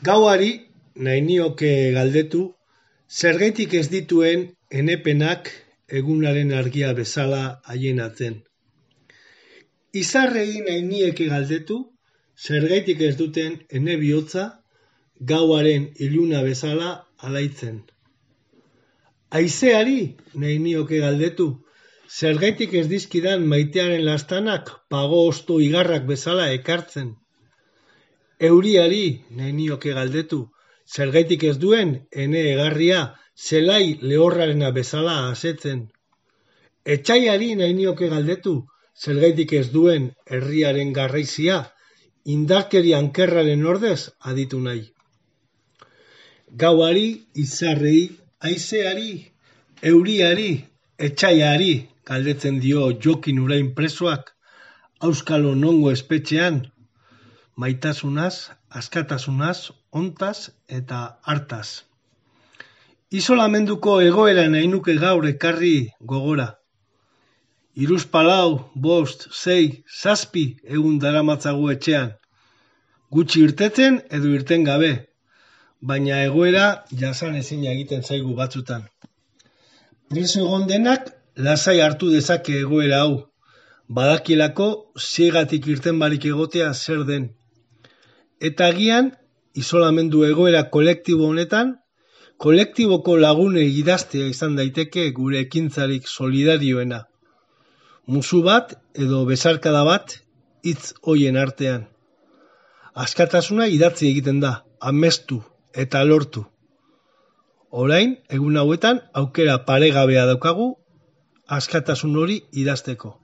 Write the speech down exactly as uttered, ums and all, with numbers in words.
Gauari nahi nioke galdetu, zergaitik ez dituen enepenak egunaren argia bezala haienatzen. Izarrei nahi nieke galdetu, zergaitik ez duten ene bihotza gauaren iluna bezala alaitzen. Haizeari nahi nioke galdetu, zergaitik ez dizkidan maitearen lastanak pago osto igarrak bezala ekartzen. Euriari nahi nioke galdetu, zergaitik ez duen ene egarria zelai lehorrarena bezala asetzen. Etxaiari nahi nioke galdetu, zergaitik ez duen herriaren garraizia indarkeri ankerraren ordez aditu nahi. Gauari, izarrei, haizeari, euriari, etxaiari galdetzen dio Jokin Urain presoak auskalo nongo espetxean, maitasunaz, askatasunaz, ontaz eta hartaz. Isolamenduko egoera nahi nuke gaur ekarri gogora. Hiruzpalau, bost, sei, zazpi egun daramatzagu etxean. Gutxi irtetzen edo irten gabe, baina egoera jasan ezin egiten zaigu batzutan. Preso egon denak lasai hartu dezake egoera hau, badakielako ziegatik irten barik egotea zer den. Eta agian, isolamendu egoera kolektibo honetan, kolektiboko lagunei idaztea izan daiteke gure ekintzarik solidarioena. Musu bat edo besarkada bat hitz hoien artean. Askatasuna idatzi egiten da, amestu eta lortu. Orain, egun hauetan, aukera paregabea daukagu, askatasun hori idazteko.